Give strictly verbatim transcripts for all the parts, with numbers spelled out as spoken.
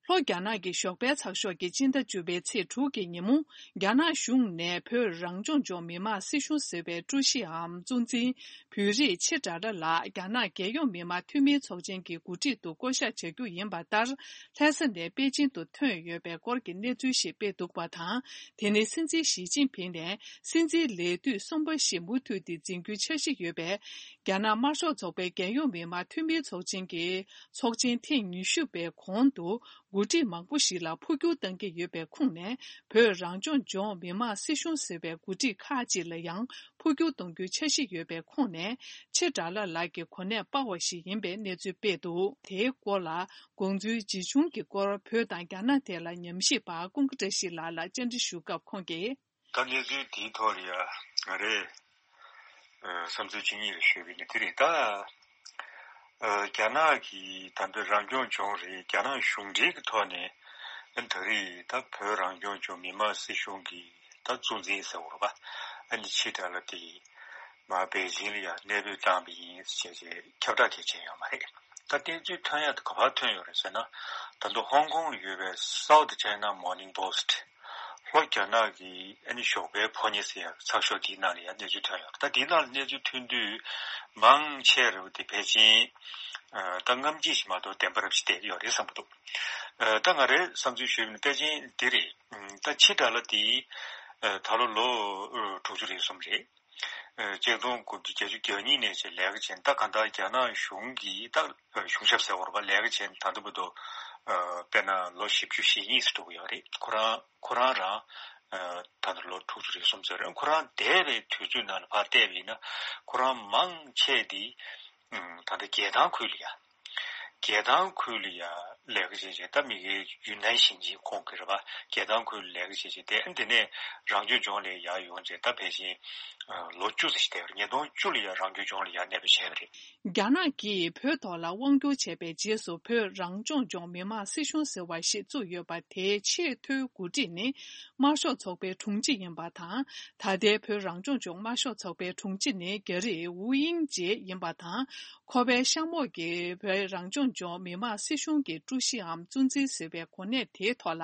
ལྷོ་རྒྱ་ནག་གི་ཞོགས་པའི་ཚགས་ཤོག་གིས་སྤྱི་ཟླ་བཅུ་པའི་ཚེས་དྲུག་གི་ཉིན་མོ། རྒྱ་ནག་གཞུང་ནས་བོད་རང་སྐྱོང་ལྗོངས་མི་དམངས་སྲིད་གཞུང་ཟེར་བའི་ཀྲུའུ་ཞིའམ་གཙོ་འཛིན་བོད་རིགས་ཆེ་དགྲ་ལ་ལགས་རྒྱ་ནག་རྒྱལ་ཡོངས་མི་དམངས་འཐུས་མིའི་ཚོགས་ཆེན་གྱི་འགོ་ཁྲིད་དུ་བསྐོ་གཞག་བྱ་རྒྱུ་ཡིན་པ་ལྟར། ལྷ་ས་ནས་པེ་ཅིན་དུ་ཐོན་ཡོད་པའི་སྐོར་གྱི་གནས་ཚུལ་ཞིག་སྤེལ་འདུག་པ་དང་། དེ་ནི་སྲིད་འཛིན་ཞི་ཅིན་ཕིང་ནས་སྲིད་འཛིན་ལས་དུས་གསུམ་པ་ཞིག་མུ་མཐུད་དེ་འཛིན་རྒྱུའི་འཆར་གཞི་ཡོད་པའི་རྒྱ་ནག་དམར་ཤོག་ཚོགས་པའི་རྒྱལ་ཡོངས་མི་དམངས་འཐུས་མིའི་ཚོགས་ཆེན་གྱི་ཚོགས་ཆེན་ཐེངས་ཉི་ཤུ་པའི་གོང་དུ་འགོ་ཁྲིད་མང་པོ་ཞིག་ལ་འཕོ་འགྱུར་གཏང་གི་ཡོད་པའི་ཁོངས་ནས། བོད་རང་སྐྱོང་ལྗོངས་མི་དམངས་སྲིད་གཞུང་ཟེར་བའི་འགོ་ཁྲིད་ཁག་ཅིག་ལ་ཡང་འཕོ་འགྱུར་གཏོང་རྒྱུའི་འཆར་གཞི་ཡོད་པའི་ཁོངས་ནས། ཆེ་དགྲ་ལ་ལགས་ཀྱི་གོ་གནས་སྤར་བ་ཞིག་ཡིན་པའི་གནས་ཚུལ་སྤེལ་འདུག་དེའི་སྐོར་ལ། དགོངས་ཚུལ་ཇི་བྱུང་གི་སྐོར་བོད་དང་རྒྱ་ནག་ཐད་ལ་ཉམས་ཞིབ་པ་ཀུན་དགའ་བཀྲ་ཤིས་ལགས་ལ་བཅར་འདྲི་ཞུ་སྐབས་ཁོང་གིས། ད་གནས་ཚུལ་དེའི་ཐོག་ལ་ཡ་ང་རེ་བསམ་ཚུལ་ཇི་སྙེད་ཞུས་པ་ཡིན་ན་དེ་རེད་ད། རྒྱ་ནག་གི་ད་ལྟ་རང་སྐྱོང་ལྗོངས་རེད། རྒྱ་ནག་གཞུང་འབྲེལ་གྱི་ཐོག་ནས་ད་རེས་ད་བོད་རང་སྐྱོང་ལྗོངས་མི་དམངས་སྲིད་གཞུང་གི་ད་གཙོ་འཛིན་ཟེར་བ་རེད་པ། ཨ་ནི་ཕྱི་དྲགས་ལ་དེ་མར་པེ་ཅིང་ལ་ཡ་གནས་སྤོས་བཏང་བ་ཡིན་ཟེར་བྱས་ཁྱབ་བསྒྲགས་དེ་བྱས་ཡོད་མ་རེད། ད་བསྟན་འཛིན་ཐོན་ཡག་དེ་ག་པར་ཐོན་ཡོད་རེད་ཟེར་ན། ད་དུང་ཧོང་ཀོང་ལ་ཡོད་པའི་South China Morning Post། ལྷོ་རྒྱ་ནག་གི་ཨ་ནི་ཞོགས་པའི་ཕོ་ཉ་ཟེར་ཡག་ཚགས་ཤོག་དེའི་ནང་ལ་ཡང་གནས་ཚུལ་ཐོན་ཡོད་རེད། ད་དེའི་ནང་ལ་གནས་ཚུལ་ཐོན་དུས་མང་ཆེ་རུ་དེ་ཕལ་ཆེར་ད་རྔམ་བརྗིད་ཞིག་མ་གཏོགས་བདེན་པ་རབ་ཞིག་བསྡད་ཀྱི་ཡོད་རེད་བསམ་གྱི་འདུག་ད་ང་རའི་བསམ་ཚུལ་ཞུས་པ་ཡིན་ན་ཕལ་ཆེར་འདི་རེད། ད་ཕྱི་དྲགས་ལ་དེ་ད་ལོ་ལོ་དྲུག་ཅུ་རེ་གསུམ་རེད། ཆིག་སྟོང་དགུ་བརྒྱ་བརྒྱད་ཅུ་གྱ་གཉིས་ནས་བྱས་ལས་ཀ་བྱས་ད་ག་ད་རྒྱ་ནག་གཞུང་གིས་ད་གཞུང་ཞབས་ཟེར་བ་རེད་པ། ལས་ཀ་བྱས་ད་ལྟ་བར་དུ་དཔེར་ན་ལོ་བཞི་བཅུ་ཞེ་གཉིས་སུ་འགྲོ་གི་ཡོད་རེད། ཁོ་རང་ཁོ་རང་རང་ད་ལྟ་ལོ་དྲུག་ཅུ་རེ་གསུམ་ཙམ་རེད། ཁོ་རང་འདས་པའི་དུས་ཚོད་ནང་ལ་ཕར་བལྟས་པ་ཡིན་ན་ཁོ་རང་མང་ཆེ་དེ་ད་ལྟ་རྒྱལ་ཐང་ཁུལ་ལ་ཡ། རྒྱལ་ཐང་ཁུལ་ལ་ཡ་ལས་ཀ་བྱས་བྱས་ད་མི་སྒེར་ཡུན་ནན་ཞིང་ཆེན་ཁོངས་ཀྱི་རེད་པ། རྒྱལ་ཐང་ཁུལ་ལ་ལས་ཀ་བྱས་བྱས་དེ་དེ་ནས་རང་སྐྱོང་ལྗོངས་ལ་ཡར་ཡོང་བྱས་ད་ཕལ་ཆེར་ལོ་བཅུ་ཙམ་ཞིག་འདས་པ་རེད། ཉིས་སྟོང་བཅུ་ལ་ཡ་རང་སྐྱོང་ལྗོངས་ལ་ཡར་གནས་སྤོས་བྱས་པ་རེད། རྒྱ་ནག་གིས་བོད་ཐོག་ལ་དབང་བསྒྱུར་བྱས་པའི་རྗེས་སུ་བོད་རང་སྐྱོང་ལྗོངས་མི་དམངས་སྲིད་གཞུང་ཟེར་བ་ཞིག་བཙུགས་ཡོད་པ། དེའི་ཆེས་མཐོའི་འགོ་ཁྲིད་ནི་དམར་ཤོག་ཚོགས་པའི་དྲུང་ཆེ་ཡིན་པ་དང་། ད་ལྟའི་བོད་རང་སྐྱོང་ལྗོངས་དམར་ཤོག་ཚོགས་པའི་དྲུང་ཆེ་ནི་རྒྱ་རིགས་ཝུའུ་དབྱིང་ཇེ་ཡིན་པ་དང་། ཁོ་པའི་གཤམ་འོག་གི་བོད་རང་སྐྱོང་ལྗོངས་མི་དམངས་སྲིད་གཞུང་གི་ཀྲུའུ་ཞིའམ་གཙོ་འཛིན་ཟེར་བའི་གོ་གནས་དེའི་ཐོག་ལ་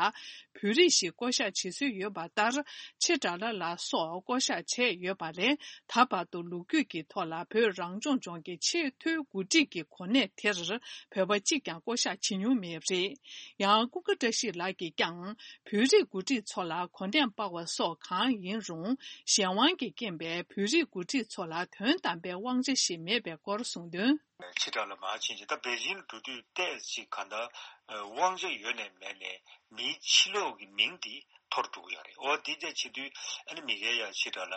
བོད་རིགས་ཤིག་བསྐོ་གཞག་བྱེད་སྲོལ་ཡོད་པ་ལྟར། ཆེ་དགྲ་ལ་ལགས་སོགས་བསྐོ་གཞག་བྱས་ཡོད་པ་ལས། ད་བར་དུ་ལོ་རྒྱུས་ཀྱི་ཐོག་ལ་བོད་རང་སྐྱོང་ལྗོངས་ཀྱི་ཆེས་མཐོའི་འགོ་ཁྲིད་ཀྱི་གོ་གནས་དེར་བོད་པ་གཅིག་ཀྱང་བསྐོ་གཞག་བྱེད་མྱོང་མེད་པ་རེད། ཡང་ཀུན་དགའ་བཀྲ་ཤིས་ལགས་ཀྱིས་ཀྱང་། བོད་རིགས་འགོ་ཁྲིད་ཚོ་ལ་གོ་གནས་སྤར་བ་སོགས་གང་ཡིན་རུང་། གཞན་དབང་གིས་རྐྱེན་པས་བོད་རིགས་འགོ་ཁྲིད་ཚོ་ལ་དོན་དམ་པའི་དབང་ཆ་ཞིག་མེད་པའི་སྐོར་གསུངས་དོན། ཕྱི་དགྲ་ལ་མར་ཕྱིན་ཅིང་ད་པེ་ཅིང་ལ་འགྲོ་དུས་ཏོག་ཙམ་གང་ལྟར་དབང་ཆ་ཡོད་ནས་མེད་ནས་མིའི་ཕྱི་ལོགས་ཀྱི་མིང་འདི་འཐོར་འགྲོ་གི་ཡོད་རེད། འོ་འདི་འདྲ་བྱེད་དུས་ཨ་ནི་མི་སྒེར་ཡ་ཕྱི་དགྲ་ལ་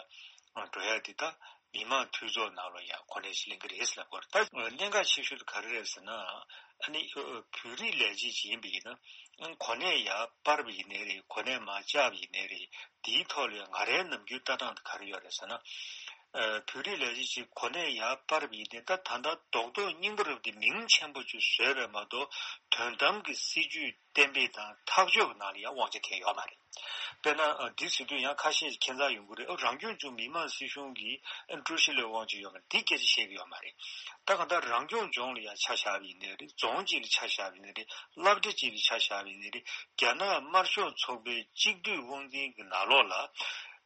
འགྲོ་ཡ་འདི་ད་མི་དམངས་འཐུས་ཚོགས་ནང་ལ་ཡང་གོ་གནས་ཤིག་ལེན་གྱི་རེད་ཟེར་ལབ་ཀྱི་ཡོད་རེད། ད་གནད་འགག་ཆེ་ཤོས་དེ་ག་རེ་རེད་ཟེར་ན། ཨ་ནི་བོད་རིགས་ལས་བྱེད་ཅིག་ཡིན་པ་ཡིན་ན་གོ་གནས་ཡར་སྤར་བ་ཡིན་ནའི་རེད། གོ་གནས་མར་བཅག་པ་ཡིན་ནའི་རེད། དེའི་ཐོག་ལ་ཡང་ང་རའི་ནམ་རྒྱུན་ལྟ་སྟངས་དེ་ག་རེ་ཡོད་རེད་ཟེར་ན། བོད་རིགས་ལས་བྱེད་ཅིག་གོ་གནས་ཡར་སྤར་བ་ཡིན་ནའི་ད་ད་ལྟ་རྡོག་རྡོག་རྙིང་པ་རབ་དེ་མིང་ཆེན་པོ་ཅིག་བཟོས་པས་མ་གཏོགས་དོན་དམ་གྱི་སྲིད་ཇུས་གཏན་འབེབས་དང་ཐག་གཅོད་ཀྱི་ནང་ལ་ཡང་དབང་ཆ་དེ་ཡོད་མ་རེད། དཔེར་ན་འདི་ཟེར་དུས་ཡང་ཁ་ཤས་ཤིག་ཁྱད་མཚར་ཡོང་གི་རེད། ཨ་རང་སྐྱོང་ལྗོངས་མི་དམངས་སྲིད་གཞུང་གི་ཨ་ཀྲུའུ་ཞི་ལ་དབང་ཆ་ཡོད་མ་རེད། འདི་སྐད་ཆ་བཤད་ཀྱི་ཡོད་མ་རེད། ད་གང་ལྟར་རང་སྐྱོང་ལྗོངས་ལ་ཡང་ཆ་བཞག་པ་ཡིན་ནའི་རེད། རྫོང་གཅིག་ལ་ཆ་བཞག་པ་ཡིན་ནའི་རེད། སློབ་གྲྭ་གཅིག་ལ་ཆ་བཞག་པ་ཡིན་ནའི་རེད། རྒྱ་ནག་དམར་ཤོག་ཚོགས་པའི་གཅིག་སྡུད་དབང་འཛིན་གྱི་ནང་ལོགས་ལ་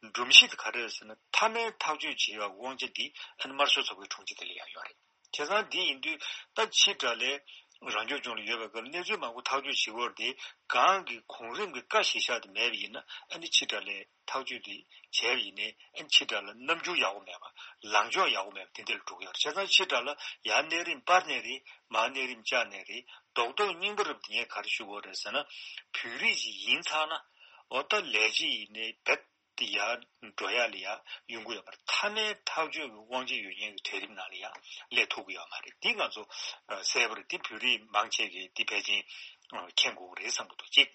སྒྲོམ་གཞི་དེ་ག་རེ་རེད་ཟེར་ན། མཐའ་མའི་ཐག་གཅོད་བྱེད་པའི་དབང་ཆ་འདི་ཨ་ནི་དམར་ཤོག་ཚོགས་པའི་དྲུང་ཆེ་དེ་ལ་ཡང་ཡོད་རེད། བྱས་ཙང་འདི་ཡིན་དུས་ད་ཕྱི་དགྲ་ལས་རང་སྐྱོང་ལྗོངས་ལ་ཡོད་པའི་སྐབས་གནས་ཚུལ་མང་པོ་ཐག་གཅོད་བྱེད་དགོས་དེ་གང་གི་གོང་རིམ་གྱི་བཀའ་གཞིར་བཞག་དེ་མེད་པ་ཡིན་ན། ཨ་ནི་ཕྱི་དགྲ་ལས་ཐག་གཅོད་དེ་བྱས་པ་ཡིན་ནའི་ཨ་ནི་ཕྱི་དགྲ་ལ་རྣམ་འགྱུར་ཡག་པོ་མེད་པ། ལངས་ཕྱོགས་ཡག་པོ་མེད་པ་དེ་འདྲ་ལ་འགྲོ་གི་ཡོད་རེད། བྱས་ཙང་ཕྱི་དགྲ་ལ་ཡར་གནས་རིམ་སྤར་ནའི་རེད། མར་གནས་རིམ་བཅག་ནའི་རེད། རྡོག་རྡོག་རྙིང་པ་རབ་དེ་ངས་ག་རེ་ཞུ་དགོས་རེད་ཟེར་ན། བོད་རིགས་ཅིག་ཡིན་ཚར་ན་འོ་ད་ལས་བྱེད་ཡིན་ནའི་རྦད་དེ་ཡར་འགྲོ་ཡ་ལ་ཡ་ཡོང་གི་ཡོད་མ་རེད། མཐའ་མའི་ཐག་གཅོད་ཀྱི་དབང་ཆ་ཡོད་མཁན་གྱི་གྲལ་རིམ་ནང་ལ་ཡ་སླེབས་ཐུབ་ཀྱི་ཡོད་མ་རེད། འདི་ང་ཚོ་ཨ་གསལ་པོ་རེད། འདི་བོད་རིགས་མང་ཆེ་གིས་འདི་ཕལ་ཆེར་ཨ་མཁྱེན་དགོས་ཀྱི་རེད་བསམ་གྱི་འདུག་གཅིག་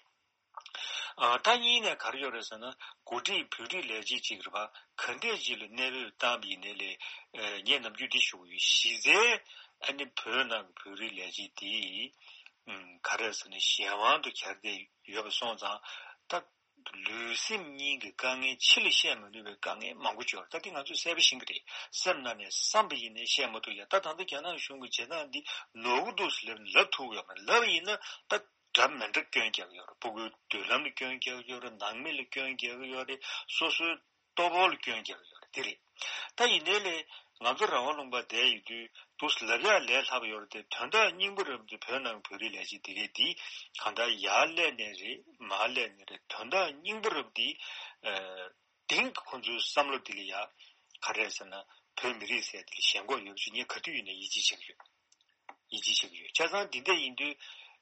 ཨ་ད་གཉིས་ནས་ག་རེ་ཡོད་རེད་ཟེར་ན། འགོ་ཁྲིད་བོད་རིགས་ལས་བྱེད་ཅིག་རེད་པ། ག་འདྲས་ཅིག་ལ་གནས་སྤོས་བཏང་བ་ཡིན་ནའི་ལས། ཨ་ངས་ནམ་རྒྱུན་འདི་ཞུ་གི་ཡོད། གཞི་རྩའི་ཨ་ནི་བོད་ནང་གི་བོད་རིགས་ལས་བྱེད་འདི་ཨམ་ག་རེ་ཟེར་ན་གཞན་དབང་དུ་གྱར་བསྡད་ཡོད་པ་སོང་ཙང་། ད་ལུས་སེམས་གཉིས་ཀྱི་དཀའ་ངལ་ཕྱི་ལ་བཤད་མ་ནུས་པའི་དཀའ་ངལ་མང་པོ་ཅིག་ཡོད་རེད། ད་འདི་ང་ཚོས་གསལ་པོ་ཤེས་ཀྱི་རེད། སེམས་ནང་ནས་བསམ་པ་ཡིན་ནའི་བཤད་མ་ཐུབ་ཡ། ད་ད་ལྟ་རྒྱ་ནག་གཞུང་གི་བྱེད་སྟངས་འདི་ནོར་གྱི་འདུག་ཟེར་ལབ་ལབ་ཐུབ་ཀྱི་ཡོད་མ་རེད། ལབ་པ་ཡིན་ན་ད། འདྲ་མི་འདྲ་སྐྱོན་རྒྱག་གི་ཡོད་རེད། སྤུ་གུའི་མདུན་ལམ་ལ་སྐྱོན་རྒྱག་གི་ཡོད་རེད། ནང་མི་ལ་སྐྱོན་རྒྱག་གི་ཡོད་རེད། སོ་སོའི་ལྟོ་ཕོགས་ལ་སྐྱོན་རྒྱག་གི་ཡོད་རེད། དེ་རེད། ད་ཡིན་ནའི་ལས་ང་ཚོ་རང་དབང་ལུང་པ་བསྡད་ཡོད་དུས་འདུག་ལབ་ཡག་ལས་སླ་པོ་ཡོད་རེད་དེ། དོན་དག་སྙིང་པོ་རབ་དེ་བོད་ནང་བོད་རིགས་ལས་བྱེད་དེ་གས་འདི་གང་ལྟར་ཡར་སླེབས་ནའི་རེད། མར་སླེབས་ནའི་རེད། དོན་དག་སྙིང་པོ་རབ་འདི་ཨ་གཏིང་གི་ཁོང་ཚོའི་བསམ་བློ་འདི་ལ་ཡ་ག་རེ་ཟེར་ན། བོད་མི་རིགས་ཟེར་འདི་ལ་ཞེན་ཁོག་ཡོད་པ་ཞིག་ངས་ག་དུས་ཡིན་ནའི་ཡིད་ཆེས་བྱེད་ཀྱི་ཡོད། ཡིད་ཆེས་བྱེད་ཀྱི་ཡོད། བྱས་ཙང་འདི་འདྲ་ཡིན་དུས་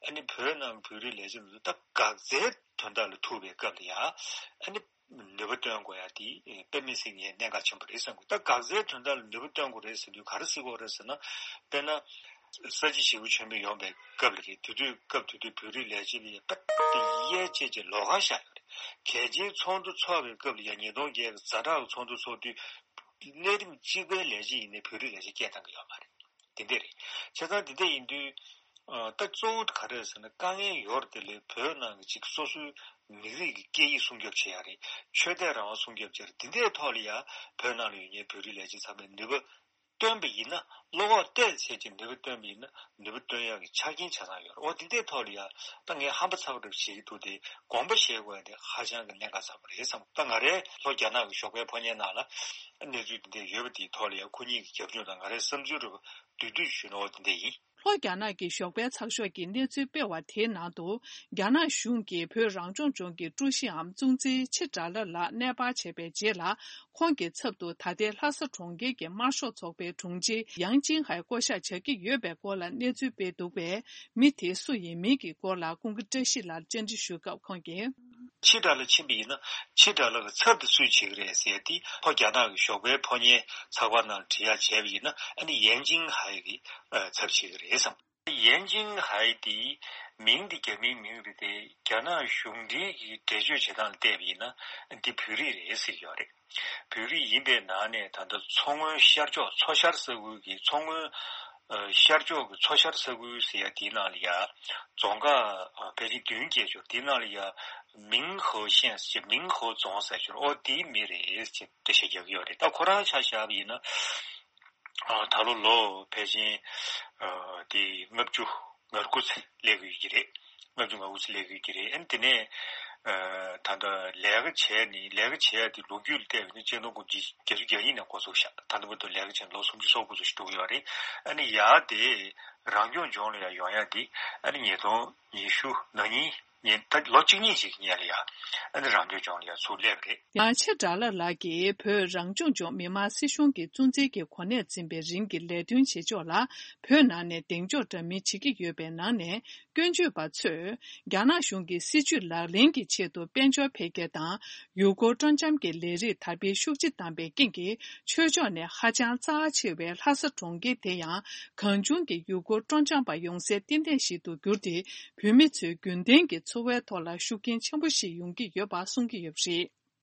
ཨ་ནི་བོད་ནང་བོད་རིགས་ལས་བྱེད་ཚོ་ད་འགག་རྩའི་དོན་དག་ལ་ཐུག་པའི་སྐབས་ལ་ཡ་ཨ་ནི་ནུས་པ་བཏོན་དགོས་ཡ་དེ་དཔེ་མི་སྲིད་ངས་གནད་འགག་ཆེན་པོ་རེད་བསམ་གི། ད་འགག་རྩའི་དོན་དག་ལ་ནུས་པ་བཏོན་དགོས་རེད་ཟེར་དུས་ག་རེ་ཟེར་དགོས་རེད་ཟེར་ན། དཔེར་ན། ས་བྱི་ཞི་བ་ཆེན་པོ་ཡོང་པའི་སྐབས་ལ་རེད། དེ་དུས་སྐབས་དེ་དུས་བོད་རིགས་ལས་བྱེད་ལ་ཡ་དཔེ་དེ་གཡས་བྱས་ཀྱི་ལོགས་ཀ་བཞག་ཡོད་རེད། གལ་ཆེའི་ཚོགས་འདུ་ཚོགས་པའི་སྐབས་ལ་ཡ་ཉིས་སྟོང་བརྒྱད་ཀྱི་ཛ་དྲག་གི་ཚོགས་འདུ་ཚོགས་དུས་གནས་རིམ་གཅིག་པའི་ལས་བྱེད་ཡིན་ནའི་བོད་རིགས་ལས་བྱེད་སྐད་བཏང་གི་ཡོད་མ་རེད། དེ་འདྲ་རེད། བྱས་ཙང་དེ་འདྲ་ཡིན་དུས། ཨ་ད་གཙོ་བོ་ག་རེ་ཟེར་ན། དཀའ་ངལ་ཡོད་རེད་དེ། ལས་བོད་ནང་གི་ཅིག་སོ་སོའི་མི་རིགས་ཀྱི་སྐད་ཡིག་སྲུང་སྐྱོབ་བྱེད་ཡ་རེད། ཆོས་དད་རང་དབང་སྲུང་སྐྱོབ་བྱེད་ཡ་རེད། དེ་འདྲའི་ཐོག་ལ་ཡ་བོད་ནང་ལ་ཡོད་མཁན་བོད་རིགས་ལས་བྱེད་ཚང་མས་ནུས་པ་བཏོན་པ་ཡིན་ན། བློ་ཁོག་གཏད་བྱས་ཀྱི་ནུས་པ་བཏོན་པ་ཡིན་ན་ནུས་པ་བཏོན་ཡག་གི་ཆ་རྐྱེན་ཆ་ཚང་ཡོད་རེད། འོ་དེ་འདྲའི་ཐོག་ལ་ཡ་ད་ངས་ཧམ་པ་ཚ་པོ་རེ་བྱེད་ཀྱི་འདུག་སྟེ། དགོངས་པ་བཞེས་དགོས་ཡ་དེ་ཧ་ཅང་གི་གནད་འགག་ཚ་པོ་རེད་བསམ། ད་ང་རའི་ལྷོ་རྒྱ་ནག་གི་ཞོགས་པའི་ཕོ་ཉའི་ནང་ལ་གནས་ཚུལ་དེ་འདྲ་ཡོད་པ་དེའི་ཐོག་ལ་ཡ་ཁོ་གཉིས་ཀྱི་རྒྱབ་ལྗོངས་དང་ང་རའི་བསམ་ཚུལ་རེ་བསྡུས་བསྡུས་ཞུས་ན་འོ་དེ་འདྲ་ཡིན། ལྷོ་རྒྱ་ནག་གི་ཞོགས་པའི་ཚགས་ཤོག་གིས་གནས་ཚུལ་སྤེལ་བ་དེའི་ནང་དུ། རྒྱ་ནག་གཞུང་གིས་བོད་རང་སྐྱོང་ལྗོངས་ཀྱི་ཀྲུའུ་ཞིའམ་གཙུག་འཛིན་ཆི་དགྲ་ལ་ལགས་གནས་སྤར་བྱས་པའི་རྗེས་ལ། ཁོང་གི་ཚབ་ཏུ་ད་ལྟའི་ལྷ་ས་གྲོང་ཁྱེར་གྱི་དམར་ཤོག་ཚོགས་པའི་དྲུང་ཆེ་ཡང་ཅིན་ཧའེ་བསྐོ་བཞག་བྱ་གི་ཡོད་པའི་སྐོར་ལ་གནས་ཚུལ་སྤེལ་འདུག་པས། མི་དེ་སུ་ཡིན་མིན་གྱི་སྐོར་ལ་ཀུན་དགའ་བཀྲ་ཤིས་ལགས་བཅར་འདྲི་ཞུས་སྐབས་ཁོང་གིས། ཕྱི་དགྲ་ལ་ཕྱིན་པ་ཡིན་ན་ཕྱི་དགྲ་ལ་གི་ཚབ་དེ་སུས་བྱེད་ཀྱི་རེད་ཟེར་དེ། ལྷོ་རྒྱ་ནག་གི་ཞོགས་པའི་ཕོ་ཉའི་ཚགས་པར་ནང་བྲིས་ཡག་བྱས་པ་ཡིན་ན། ཨ་ནི་ཡན་ཅིང་ཧའེ་གི་ཨ་ཚབ་བྱེད་ཀྱི་རེད་བསམ། ཡན་ཅིང་ཧའེ་དེ་མིང་དེ་རྒྱ་མིའི་མིང་རེད་དེ། རྒྱ་ནག་གཞུང་འབྲེལ་གྱི་འགྲེལ་བརྗོད་བྱེད་སྟངས་ལ་བལྟས་པ་ཡིན་ན་འདི་བོད་རིགས་རེད་ཟེར་གྱི་ཡོད་རེད། བོད་རིགས་ཡིན་པའི་ནང་ནས་ད་ལྟ་མཚོ་སྔོན་ཤར་ཕྱོགས། མཚོ་ཤར་ས་ཁུལ་གྱི། མཚོ་སྔོན་ཨ་ཤར་ཕྱོགས་ཀྱི། མཚོ་ཤར་ས་ཁུལ་ཟེར་ཡ་དེའི་ནང་ལ་ཡ་རྫོང་ཁག་ཨ་ཕལ་ཆེར་བདུན་བརྒྱད་ཅུ། དེའི་ནང་ལ་ཡ་མིང་ཧོ་ཤན་ཟེར། མིང་ཧོ་རྫོང་ཟེར་ཅིག་ཨོ་དེའི་མི་རེད་ཅེས་འགྲེལ་བཤད་རྒྱག་གི་ཡོད་རེད། ད་ཁོ་རང་ཆ་བཞག་པ་ཡིན་ན། ཨ་ད་ལོ་ལོ་ཕལ་ཆེར་ཨ་དེ་ལྔ་བཅུ་ང་དགུ་ཙམ་སླེབས་ཀྱི་ཡོད་ཀྱི་རེད། ལྔ་བཅུ་ང་དགུ་ཙམ་སླེབས་ཀྱི་ཡོད་ཀྱི་རེད། ཨ་ནི་དེ་ནས་ཨ་ད་ལྟ་ལས་ཀ་བྱས་ནས། ལས་ཀ་བྱས་ཏེ་ལོ་རྒྱུས་ལ་བལྟས་པ་ཡིན་ན་གཅིག་སྟོང་དགུ་བརྒྱ་བརྒྱད་ཅུ་གྱ་གཉིས་ནས་འགོ་ཚུགས་ཤག་ད་ལྟ་བར་དུ་ལས་ཀ་བྱས་ནས་ལོ་སུམ་ཅུ་སོ་དགུ་ཙམ་ཞིག་འགྲོ་གི་ཡོད་རེད། ཨ་ནི་ཡར་དེ་རང་སྐྱོང་ལྗོངས་ལ་ཡར་ཡོང་ཡ་དེ་ཨ་ནི་ཉིས་སྟོང་ཉི་ཤུ་ནང་ཉིན། ཉིན་ད་ལོ་གཅིག་གཉིས་ཅིག་སྔོན་ལ་ཡ་ཨ་ནི་རང་སྐྱོང་ལྗོངས་ལ་ཡ་ཚུར་སླེབས་པ་རེད། ཡང་ཆི་དགྲ་ལ་ལགས་ཀྱིས་བོད་རང་སྐྱོང་ལྗོངས་མི་དམངས་སྲིད་གཞུང་གི་གཙོ་འཛིན་གྱི་གོ་གནས་འཛིན་པའི་རིང་གི་ལས་དོན་བྱེད་ཕྱོགས་ལ་བོད་ནང་ནས་གདེང་འཇོག་འདྲ་མིན་བྱེད་ཀྱི་ཡོད་པའི་ནང་ནས། སྐྱོན་བརྗོད་པ་ཚོས་རྒྱ་ནག་གཞུང་གི་སྲིད་ཇུས་ལག་ལེན་གྱི་ཆེད་དུ་དཔལ་འབྱོར་འཕེལ་རྒྱས་དང་ཡུལ་སྐོར་སྤྲོ་འཆམ་གྱི་ལས་རིགས་དར་སྤེལ་ཤུགས་ཆེ་བཏང་པའི་རྐྱེན་གྱིས། ཆོས་ཕྱོགས་ནས་ཧ་ཅང་རྩ་ཆེ་བའི་ལྷ་ས་གྲོང་ཁྱེར་དེ་ཡང་གང་བྱུང་གིས་ཡུལ་སྐོར་སྤྲོ་འཆམ་པ་ཡོང་སའི་རྟེན་རྫས་ཤིག་ཏུ་གྱུར་ཏེ། བོད་མི་ཚོའི་རྒྱུན་ལྡན་གྱི་འཚོ་བའི་ཐོག་ལ་ཤུགས་རྐྱེན་ཆེན་པོ་ཞིག་ཡོང་གི་ཡོད་པ་གསུང་གི་ཡོད་པ་རེད།